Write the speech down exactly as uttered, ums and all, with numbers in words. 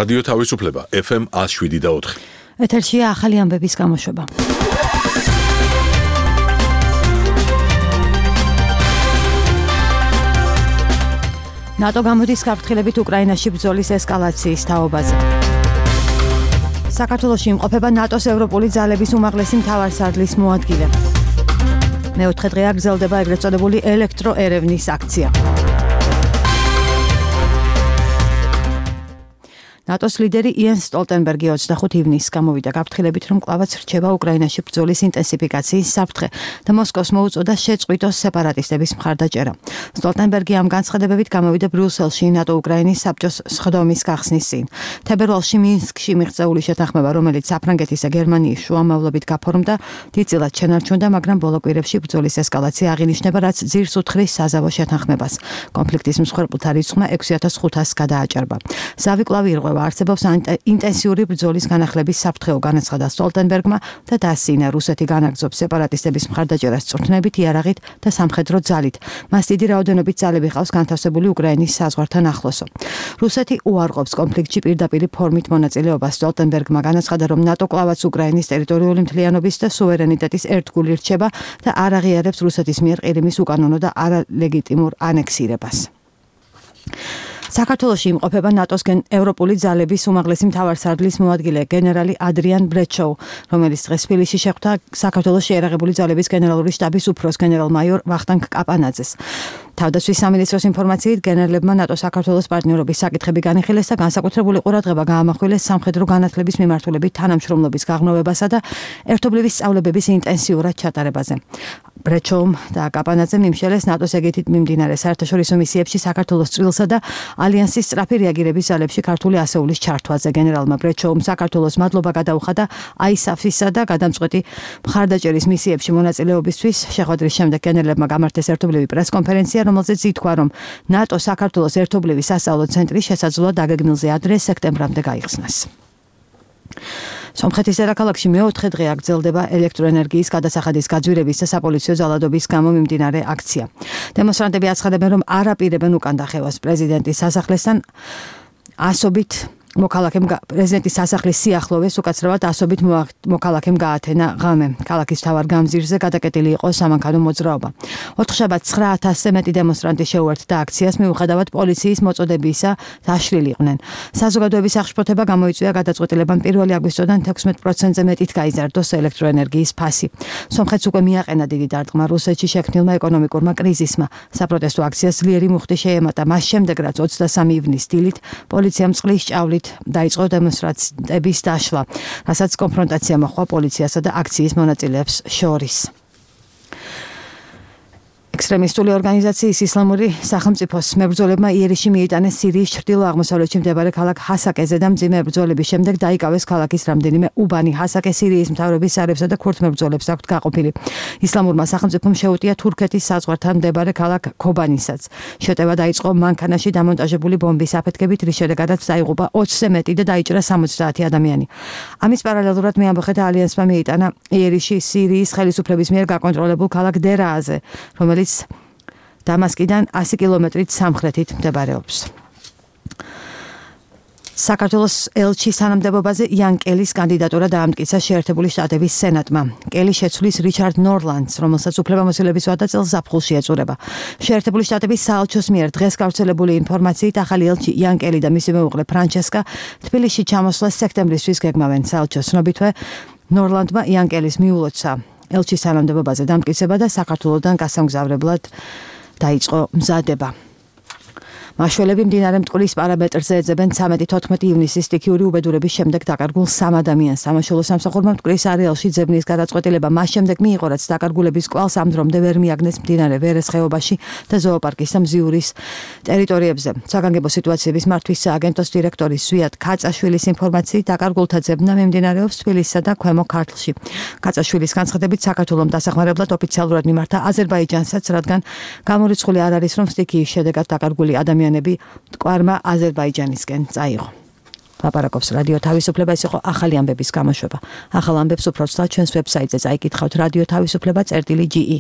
რადიო თავისუფლება ეფ ემ one oh seven და four. ეთერშია ახალი ამბების გამოშვება. ნატო გამოდის გაფრთხილებით უკრაინაში ბრძოლის ესკალაციის თაობაზე. საქართველოში იმყოფება ნატოს ევროპული ძალების უმაღლესი მთავარსარდლის მოადგილე. მეოთხე დღეა გრძელდება ეგრეთ წოდებული ელექტროერევნის აქცია. ნატოს ლიდერი იენს სტოლტენბერგი ოცდახუთ ივნისს გამოვიდა გაფრთხილებით, რომ კვლავაც რჩება უკრაინაში ბრძოლის ინტენსიფიკაციის საფრთხე და მოსკოვს მოუწოდა შეწყვიტოს სეპარატისტების მხარდაჭერა. სტოლტენბერგი ამ განცხადებებით გამოვიდა ბრიუსელში ნატო-უკრაინის საბჭოს სხდომის გახსნის წინ. თებერვალში მინსკში მიღწეული შეთანხმება, რომელიც საფრანგეთის და გერმანიის შუამავლობით გაფორმდა, დიდწილად შენარჩუნდა, მაგრამ ბოლო კვირებში ბრძოლის ესკალაცია აღინიშნება, რაც ძირს უთხრის საზავო შეთანხმებას. კონფლიქტის მსხვერპლთა რიცხვმა ექვსი ათას ხუთასს გადააჭარბა. ზავი კვლავ ირღვევა. არსებობს ინტენსიური ბრძოლის განახლების საფრთხეო, განაცხადა სტოლტენბერგმა და დაასინა რუსეთი განაგრძობს სეპარატისტების მხარდაჭერას წვრთნებით, იარაღით და სამხედრო ძალით. მას დიდი რაოდენობით ძალები ყავს განთავსებული უკრაინის საზღვართან ახლოსო. რუსეთი უარყოფს კონფლიქტში პირდაპირ ფორმით მონაწილეობას. სტოლტენბერგმა განაცხადა, რომ ნატო კვლავაც უკრაინის ტერიტორიული მთლიანობის და სუვერენიტეტის ერთგული რჩება და არ აღიარებს რუსეთის მიერ ყირიმის უკანონო და არალეგიტიმურ ანექსირებას. საქართველოში იმყოფება ნატოს ევროპული ძალების უმაღლესი მთავარსარდლის მოადგილე გენერალი ადრიან ბრეჩოუ, რომელიც დღეს თბილისში შეხვდა საქართველოს შეიარაღებული ძალების გენერალური შტაბის უფროს გენერალ-მაიორ ვახტანგ კაპანაძეს. თავდაცვის სამინისტროს ინფორმაციით გენერლებმა ნატო-საქართველოს პარტნიორობის საკითხები განიხილეს და განსაკუთრებული ყურადღება გაამახვილეს სამხედრო განათლების მიმართულებით თანამშრომლობის გაღრმავებასა და ერთობლივი სწავლებების ინტენსიურად ჩატარებაზე. ბრეჩოუმ და კაპანაძემ იმშელეს ნატოს ეგეთით მიმდინარე საერთაშორისო მისიებში საქართველოს წვრილსა და ალიანსის სწრაფი რეაგირების ძალებში ქართული ასეულის ჩართვაზე. გენერალმა ბრეჩოუმ საქართველოს მადლობა გადაუხადა აისაფისა და გადამწყვეტი მხარდაჭერის მისიებში მონაწილეობისთვის. შეხვედრის შემდეგ გენერლებმა გამართეს ერთობლივი პრესკონფერენცია, რომელზეც ითქვა, რომ ნატო საქართველოს ერთობლივი სასწავლო ცენტრი შესაძლოა დაგეგმილზე ადრე სექტემბრამდე გაიხსნას. სომხეთის დედაქალაქში მეოთხე დღეა გრძელდება ელექტროენერგიის გადასახადის გაძვირების და sapolicio ძალადობის გამო მიმდინარე აქცია. დემონსტრანტები აცხადებენ, რომ არ აპირებენ უკან დახევას პრეზიდენტის სასახლესთან ასობით მოქალაქემ პრეზიდენტის სასახლის სიახლოვეს უკაცრავად ასობით მოქალაქემ გაათენა ღამე. ქალაქის მთავარ გამზირზე გადაკეტილი იყო სამანქანო მოძრაობა. ოთხშაბათს ცხრა ათასზე მეტი დემონსტრანტი შეუერთდა აქციას, მიუხედავად პოლიციის მოწოდებისა დაშლილი იყვნენ. საზოგადოების აღშფოთება გამოიწვია გადაწყვეტილებამ პირველი აგვისტოდან თექვსმეტ პროცენტზე მეტით გაიზარდოს ელექტროენერგიის ფასი. სომხეთს უკვე მიაყენა დიდი დარტყმა რუსეთში შექმნილმა ეკონომიკურმა კრიზისმა. საპროტესტო აქციას ძლიერი მუხტი შეემატა. მას შემდეგ, რაც ოცდასამი ივნის დილით პოლიციამ წყლის ჭავლით დაიწყო დემონსტრაციების დაშლა, რასაც კონფრონტაცია მოჰყვა პოლიციასა და აქციის მონაწილეებს შორის. ექსტრემისტული ორგანიზაციის ისლამური სახელმწიფოს მებრძოლებმა იერიში მიიტანეს სირიის ჩრდილო-აღმოსავლეთში მდებარე ქალაქ ჰასაკეზე და მძიმე ბრძოლების შემდეგ დაიკავეს ქალაქის რამდენიმე უბანი. ჰასაკე სირიის მთავრობის სარებსა და ქურთ მებრძოლებს აქვთ გაყოფილი. ისლამურმა სახელმწიფომ შეუტია თურქეთის საზღვართან მდებარე ქალაქ ქობანისაც. შეტევა დაიწყო მანქანაში დამონტაჟებული ბომბის აფეთქებით, რის შედეგადაც დაიღუპა ოცზე მეტი და დაიჭრა სამოცდაათი ადამიანი. ამის პარალელურად მეამბოხეთა ალიანსმა მიიტანა იერიში სირიის ხელისუფლების მიერ გაკონტროლებულ ქალაქ დერააზე, რომელიც დამასკიდან ასი კილომეტრით სამხრეთით მდებარეობს. საქართველოს ელჩის თანამდებობაზე იან კელის კანდიდატურა დაამტკიცა შეერთებული შტატების სენატმა. კელი შეცვლის რიჩარდ ნორლანდს, რომელსაც უფლებამოსილების ვადა წელს ზაფხულში ეწურება. შეერთებული შტატების საელჩოს მიერ დღეს გავრცელებული ინფორმაციით ახალი ელჩი იან კელი და მისი მეუღლე ფრანჩესკა თბილისში ჩამოსვლას სექტემბრისთვის გეგმავენ. საელჩოს ცნობითვე ნორლანდმა იან კელის მიულოცა ელჩის თანამდებობაზე დამტკიცება და საქართველოსთან გასამგზავრებლად დაიწყო მზადება. მაშველები მდინარე მტკვრის პარამეტრზე ეძებენ ცამეტი თოთხმეტი ივნისის სტიქიური უბედურების შემდეგ დაკარგულ სამ ადამიანს. სამაშველო სამსახურმა მტკვრის არეალში ძებნის გადაწყვეტილება მას შემდეგ მიიღო, რაც დაკარგულების კვალს ამ დრომდე ვერ მიაგნეს მდინარე ვერეს ხეობაში და ზოოპარკის და მზიურის ტერიტორიებზე. საგანგებო სიტუაციების მართვის სააგენტოს დირექტორი სვიატ კაცაშვილის ინფორმაციით დაკარგულთა ძებნა მიმდინარეობს თბილისსა და ქვემო ქართლში. კაცაშვილის განცხადებით საქართველოს დასახმარებლად ოფიციალურად მიმართა აზერბაიჯანსაც, რადგან გამორიცხული არ არის, რომ სტიქიის შედეგად დაკარგული ადამიანები მტკვარმა აზერბაიჯანისკენ წაიღო. ლაპარაკობს რადიო თავისუფლება, ეს იყო ახალი ამბების გამოშვება. ახალ ამბებს უფრო ცოტა ჩვენს ვებსაიტზე წაიკითხავთ რადიო თავისუფლება წერტილი ჯი ი.